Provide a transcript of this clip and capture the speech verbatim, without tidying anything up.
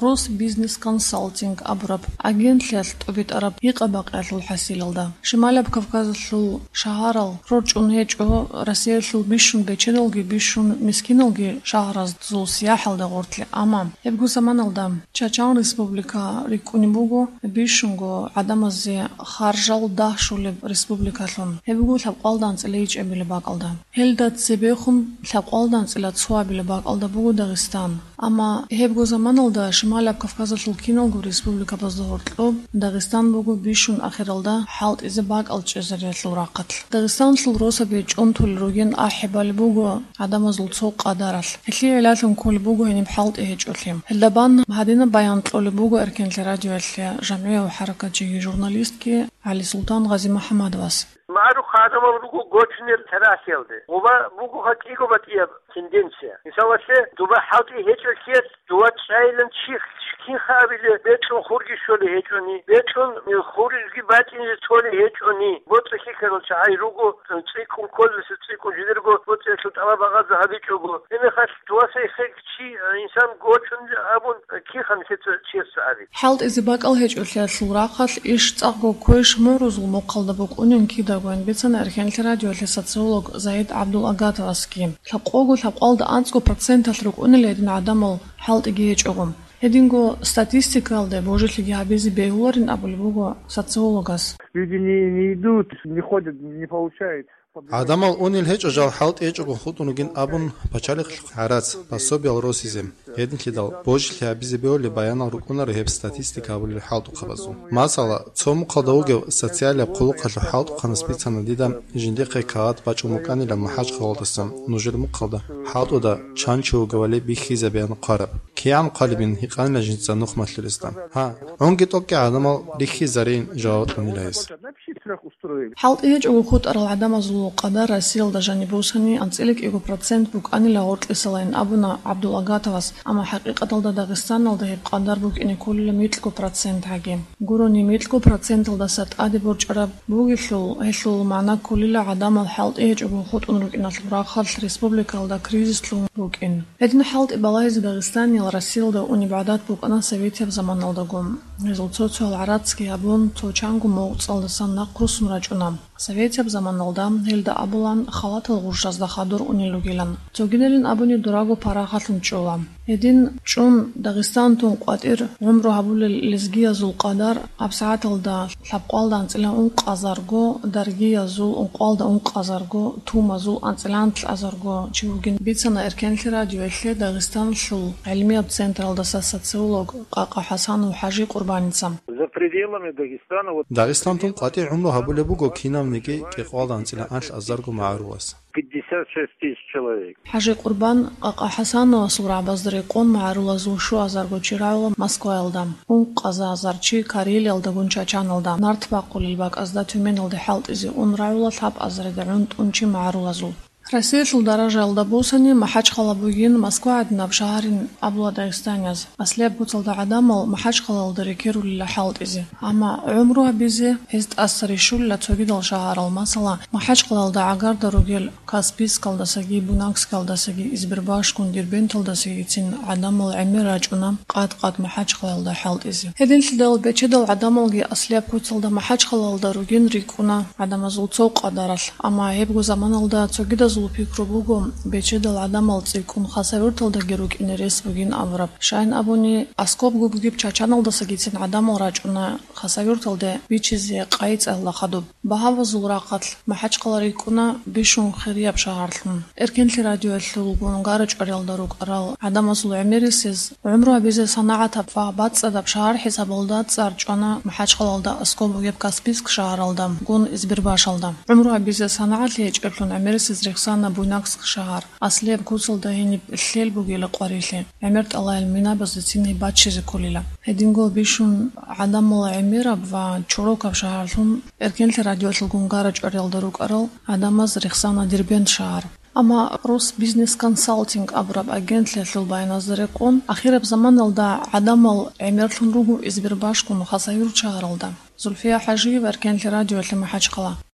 Росбизнесконсалтинг абураб агентлъиялъ тӀубитӀараб гьикъа-бакъиялъул хӀасилалда. Шималаб Кавказалъул шагьарал рорчӀун гьечӀо Россиялъул бищун бечедалги бищун мискиналги шагьаразул сияхӀалда гъортлъи, амма гьебго заманалда Чачан Республика рикӀкӀунеб буго, бищунго гӀадамазе харжал дагь щолеб республикалъун, гьеб буго лъабкъоялда анцӀила ичӀабилеб бакӀалда. Гьелда цебехун лъабкъоялда анцӀила цоабилеб бакӀалда буго Дагъистан. Амма гьебго заманалда Шималаб Кавказалъул киналго республикабазда гьоркьоб Дагъистан буго бищун ахиралда хӀалтӀизе бакӀал чӀезариялъул рахъалъ. Дагъистаналъул росаби чӀунтулел ругин ахӀи балеб буго гӀадамазул цо къадаралъ. Гьелъие гӀиллалъун кколеб буго гьениб хӀалтӀи гьечӀолъи. Гьелда бан гьадинаб баян кьолеб буго Эркенлъи радиоялъе жамгӀияв хӀаракатчиги журналистги ГӀалисултан Гъазимухьаммадовас. МагӀарухъ гӀадамал руго гочунел тарихалде. Гъуба бугоха кӀиго батӀияб тенденция. Мисалалъе, дуба хӀалтӀи гьечӀолъиялъ дова чӀайилан чи, кинха абилеб, бекьун хурги щолей гьечӀони, бекьун хурги бачӀине толей гьечӀони, боцӀи хьихьарал чагӀи руго, цӀикӀкӀун кколеса цӀикӀкӀун жидерго боцӀиялъул тӀалаб багъазе гьабичӀого. Гьебмехалъ дова сайихъе чи, инсан гочун абун, кинха нилъеца чиясда аби. ХӀалтӀизе бакӀал гьечӀолъиялъул рахъалъ иш цӀакъго квеш мугӀрузул мухъалда букӀунин кидагойин бицана Эркенлъи радиоялъе социолог Заид ГӀабдулагатовасги. Лъабкъого лъабкъоялда анцӀго проценталъ рукӀунел гьедин гӀадамал хӀалтӀиги гьечӀого. Гьединго статистикаялда божилъиги гьабизе бегьуларин абулеб буго социологас. Люди не, не идут, не ходят, не получают. ГӀадамал унел гьечӀо жал хӀалтӀи гьечӀого хутӀун ругин абун пачалихъ гӀарац, пособиял росизе. Гьединлъидал божилъи гьабизе бегьулеб баянал рукӀунаро гьеб статистика гьабулел хӀалтӀухъабазул. Масала, цо мухъалда вугев социалияб хъулухъалъул хӀалтӀухъанас бицана дида жиндихъе кагъат бачӀун букӀанилан МахӀачхъалалдаса нужер мухъалда хӀалтӀуда чан чи вугевали бихьизабеян хъвараб. КигӀан хъвалебин гьикъанила жинца нухмалъулесда. Гьа, гӀунги тӀокӀги гӀадамал рихьизарейин жаваб кьунила гьес. ХӀалтӀи гьечӀого хутӀарал гӀадамазул къадар Россиялда жаниб бусани анцӀила кӀиго процент букӀанила гъоркьисалайин абуна ГӀабдулагатовас, амма хӀакъикъаталда Дагъистаналда гьеб къадар букӀине кколила микьго процент гьаги. Гурони микьго проценталдаса тӀаде борчӀараб бугелъул, гьелъул магӀна кколила гӀадамал хӀалтӀи гьечӀого хутӀун рукӀиналъул рахъалъ республикаялда кризис лъун рукӀин. Гьедин хӀалтӀи балагьизе дагъистаниял Россиялда унеб гӀадат букӀана советияб заманалдаго. Гьезул цо-цоял гӀарацги гьабун, цо чанго мугӀцӀалдасан нахъ руссун рачӀуна. Советияб заманалда гьелда абулан халатал гъурщазда хадур унел ругилан. Цогидалин абуни дураго парагьалъун чӀола. Гьедин чӀун Дагъистан тун къватӀир гӀумру гьабулел лезгиязул къадар абсагӀаталда лъабкъоялда анцӀила ункъазарго, даргиязул ункъоялда ункъазарго, тумазул анцӀила анлъазарго чи вугин бицана Эркенлъи радиоялъе Дагъистаналъул гӀилмияб централдаса социолог Къакъа ХӀасанов ХӀажи Къурбаница. За пределами Дагестана вот Дагъистан тун къватӀир гӀумру гьабулеб буго кинавниги кӀикъоялда анцӀила анлъазарго магӀарулас. Пятьдесят шесть тысяч человек. ХӀажи Къурбан Къакъа ХӀасановасул рагӀабазда рекъон магӀарулазул щуазарго чи рагӀула Москваялда, ункъазазар чи Карелиялдагун Чачаналда, нарт бахъулел бакӀазда Тюменалде хӀалтӀизе ун рагӀула лъабазарида гӀунтӀун чи магӀарулазул. Россиялъул даражаялда бусани МахӀачхъала бугин Москва гӀадинаб шагьарин абула дагъистанияз. Аслияб куцалда гӀадамал МахӀачхъалалда рекерулила хӀалтӀизе. Амма гӀумру гьабизе гьез тӀаса рищулила цогидал шагьарал, масала, МахӀачхъалалда гӀагарда ругел Каспийскалдасаги, Буйнакскалдасаги, Избербашгун, Дербенталдасагицин гӀадамал гӀемер рачӀуна къад-къад МахӀачхъалалда хӀалтӀизе. Гьединлъидал бечедал гӀадамалги аслияб куцалда МахӀачхъалалда ругин рикӀкӀуна гӀадамазул цо къадаралъ, амма гьебго заманалда цогидазул пикру буго бечедал гӀадамал цӀикӀкӀун Хасавюрталдаги рукӀине рес бугин абураб. Щайин абуни, аскӀобго бугеб Чачаналдасагицин гӀадамал рачӀуна Хасавюрталде бичизе къайи цӀалла хадуб. Багьавазул рахъалъ МахӀачхъала рикӀкӀуна бищун хирияб шагьарлъун. Эркенлъи радиоялъулгун гара-чӀвариялда рукӀарал гӀадамазул гӀемерисез гӀумру гьабизе санагӀатаб ва бацӀцӀадаб шагьар хӀисабалда цӀар чӀвана МахӀачхъалалда, аскӀоб бугеб Каспийск шагьаралда, гун Избербашалда. ГӀумру гьабизе санагӀатлъи гьечӀеблъун гӀемерисез рехсана Буйнакск шагьар. Аслияб куцалда гьениб лъел бугила къварилъи, гӀемер тӀалаел минабаздецин гьеб баччизе кколила. Гьединго бищун гӀадамал гӀемераб ва чорокаб шагьарлъун Эркенлъи радиоялъулгун гара-чӀвариялда рукӀарал гӀадамаз рехсана Дербент шагьар. Амма Росбизнесконсалтинг абураб агентлъиялъул баяназда рекъон, ахираб заманалда гӀадамал гӀемерлъун руго Избербашгун Хасавюрт шагьаралда. Зульфия ХӀажиева, Эркенлъи радиоялъе, МахӀачхъала.